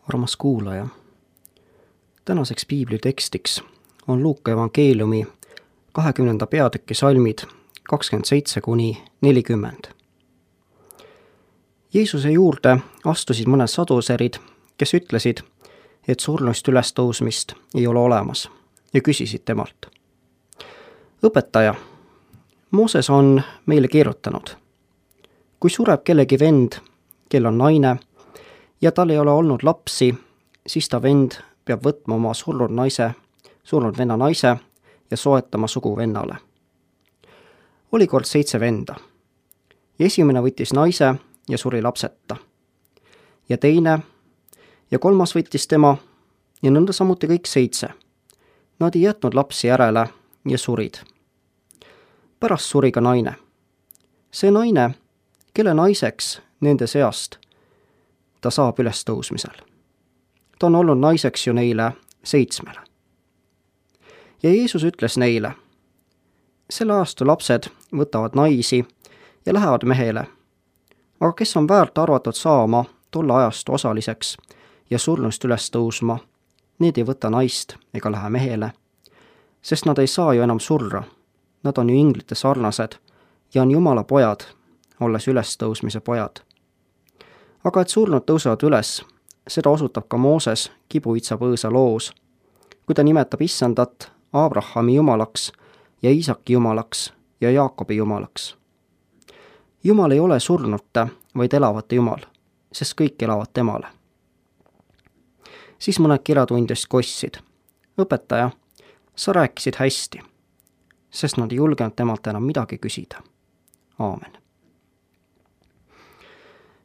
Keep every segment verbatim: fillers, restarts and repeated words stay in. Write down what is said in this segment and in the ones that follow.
Armas kuulaja, tänaseks piiblitekstiks on Luuka evangeeliumi kahekümnenda peatüki salmid kakskümmend seitse kuni nelikümmend. Jeesuse juurde astusid mõned saduserid, kes ütlesid, et surnust ülestõusmist ei ole olemas, ja küsisid temalt: õpetaja, Mooses on meile kirjutanud, kui sureb kellegi vend, kel on naine, ja tal ei ole olnud lapsi, siis ta vend peab võtma oma surnud naise, surnud venna naise ja soetama sugu vennale. Oli kord seitse venda. Ja esimene võttis naise ja suri lapseta. Ja teine ja kolmas võttis tema ja nõnda samuti kõik seitse. Nad ei jätnud lapsi järele ja surid. Pärast suri ka naine. See naine, kelle naiseks nende seast ta saab ülestõusmisel. Ta on olnud naiseks ju neile seitsmele. Ja Jeesus ütles neile: selle ajastu lapsed võtavad naisi ja lähevad mehele, aga kes on väärt arvatud saama tolle ajastu osaliseks ja surnust üles tõusma, need ei võta naist ega lähe mehele, sest nad ei saa ju enam surra, nad on ju inglite sarnased ja on Jumala pojad, olles ülestõusmise pojad. Aga et surnud tõusevad üles, seda osutab ka Mooses kibuitsa põõsa loos, kui ta nimetab issandat Abrahami jumalaks ja Iisaki jumalaks ja Jaakobi jumalaks. Jumal ei ole surnute, vaid elavate Jumal, sest kõik elavad temale. Siis mõned kirjatundjast kostsid: õpetaja, sa rääkisid hästi, sest nad ei julgenud temalt enam midagi küsida. Aamen.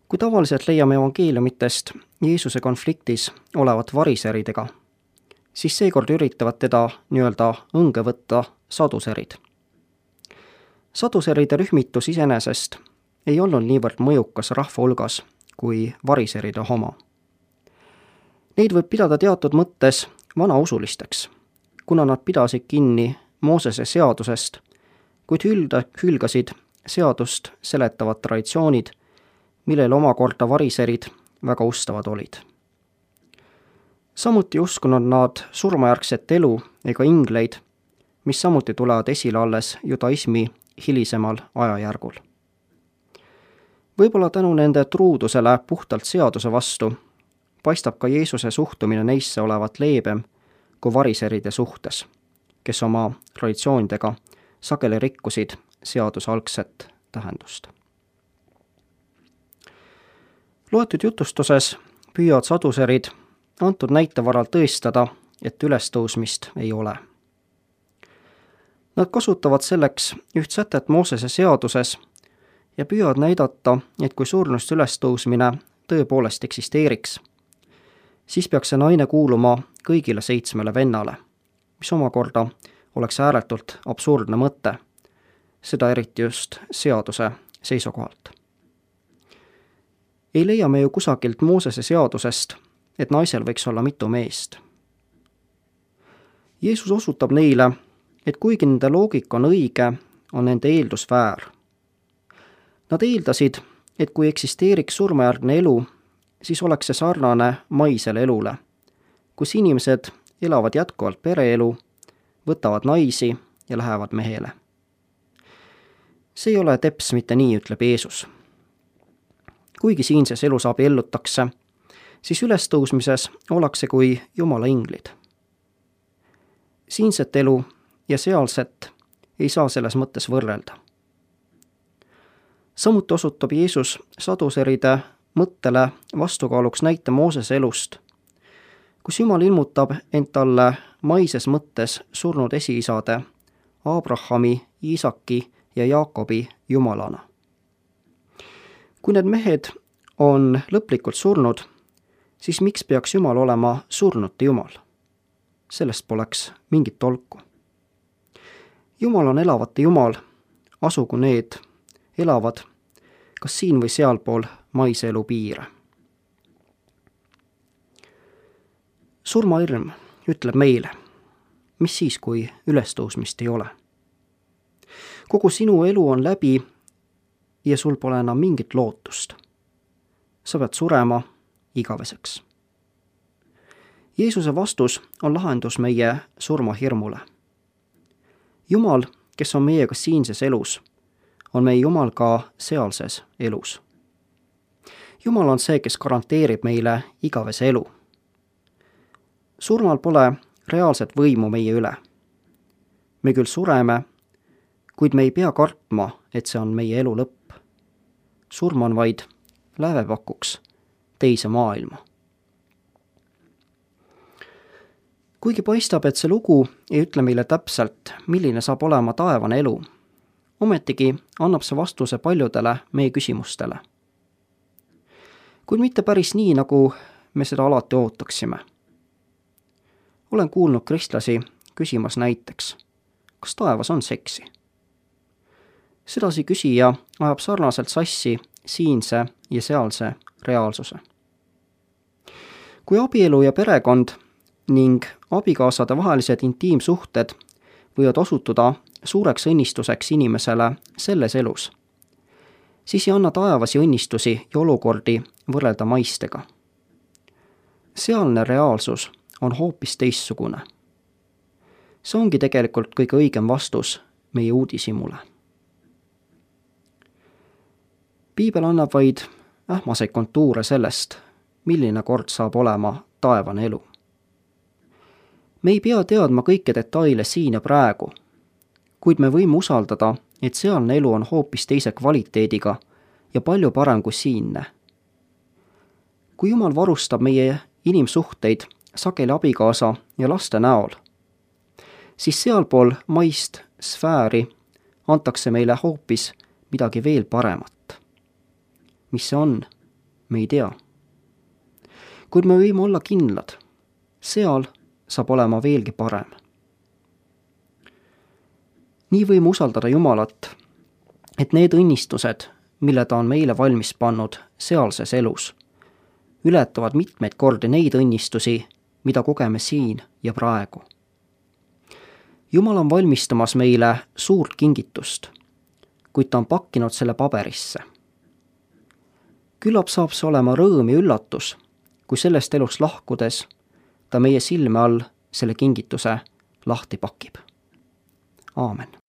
Kui tavaliselt leiame evangeeliumitest Jeesuse konfliktis olevat variseridega, siis seekord üritavad teda nii-öelda õnge võtta saduserid. Saduseride rühmitus iseenesest ei olnud niivõrd mõjukas rahva hulgas kui variseride oma. Neid võib pidada teatud mõttes vanausulisteks, kuna nad pidasid kinni Moosese seadusest, kuid hülda, hülgasid seadust seletavad traditsioonid, millel omakorda variserid väga ustavad olid. Samuti uskunud nad surmajärgset elu ega ingleid, mis samuti tulevad esile alles judaismi hilisemal ajajärgul. Võib-olla tänu nende truudusele puhtalt seaduse vastu paistab ka Jeesuse suhtumine neisse olevat leebem kui variseride suhtes, kes oma traditsioonidega sageli rikkusid seaduse algset tähendust. Loetud jutustuses püüavad saduserid antud näite varal tõestada, et ülestõusmist ei ole. Nad kasutavad selleks üht sätet Moosese seaduses ja püüavad näidata, et kui surnust ülestõusmine tõepoolest eksisteeriks, siis peaks see naine kuuluma kõigile seitsmele vennale, mis omakorda oleks ääretult absurdne mõte, seda eriti just seaduse seisukohalt. Ei leia me ju kusagilt Moosese seadusest, et naisel võiks olla mitu meest. Jeesus osutab neile, et kuigi nende loogika on õige, on nende eeldus väär. Nad eeldasid, et kui eksisteeriks surmajärgne elu, siis oleks see sarnane maisele elule, kus inimesed elavad jätkuvalt pereelu, võtavad naisi ja lähevad mehele. See ei ole teps mitte nii, ütleb Jeesus. Kuigi siinses elus abiellutakse, siis ülestõusmises ollakse kui Jumala inglid. Siinset elu ja sealset ei saa selles mõttes võrrelda. Samuti osutab Jeesus saduseride mõttele vastukaaluks näite Moosese elust, kus Jumal ilmutab end talle maises mõttes surnud esiisade Abrahami, Iisaki ja Jaakobi Jumalana. Kui need mehed on lõplikult surnud, siis miks peaks Jumal olema surnute Jumal? Sellest poleks mingit tolku. Jumal on elavate Jumal, asugu need elavad kas siin või sealpool maise elu piire. Surmahirm ütleb meile, mis siis, kui ülestõusmist ei ole. Kogu sinu elu on läbi ja sul pole enam mingit lootust. Sa pead surema igaveseks. Jeesuse vastus on lahendus meie surmahirmule. Jumal, kes on meiega siinses elus, on meie Jumal ka sealses elus. Jumal on see, kes garanteerib meile igavese elu. Surmal pole reaalset võimu meie üle. Me küll sureme, kuid me ei pea kartma, et see on meie elu lõpp. Surm on vaid lävepakuks teise maailma. Kuigi paistab, et see lugu ei ütle meile täpselt, milline saab olema taevane elu, ometigi annab see vastuse paljudele meie küsimustele. Kuid mitte päris nii, nagu me seda alati ootaksime. Olen kuulnud kristlasi küsimas näiteks, kas taevas on seksi? Sedasi küsija ajab sarnaselt sassi siinse ja sealse reaalsuse. Kui abielu ja perekond ning abikaasade vahelised intiimsuhted võivad osutuda suureks õnnistuseks inimesele selles elus, siis ei anna taevasi õnnistusi ja olukordi võrrelda maistega. Sealne reaalsus on hoopis teistsugune. See ongi tegelikult kõige õigem vastus meie uudishimule. Piibel annab vaid ähmaseid kontuure sellest, milline kord saab olema taevane elu. Me ei pea teadma kõike detaile siin ja praegu, kuid me võime usaldada, et sealne elu on hoopis teise kvaliteediga ja palju parem kui siinne. Kui Jumal varustab meie inimsuhteid sageli abikaasa ja laste näol, siis sealpool maist sfääri antakse meile hoopis midagi veel paremat. Mis see on, me ei tea. Kuid me võime olla kindlad, seal saab olema veelgi parem. Nii võime usaldada Jumalat, et need õnnistused, mille ta on meile valmis pannud sealses elus, ületavad mitmeid kordi neid õnnistusi, mida kogeme siin ja praegu. Jumal on valmistamas meile suurt kingitust, kuid ta on pakkinud selle paberisse. Küllap saab see olema rõõm ja üllatus, kui sellest elust lahkudes ta meie silme all selle kingituse lahti pakib. Aamen.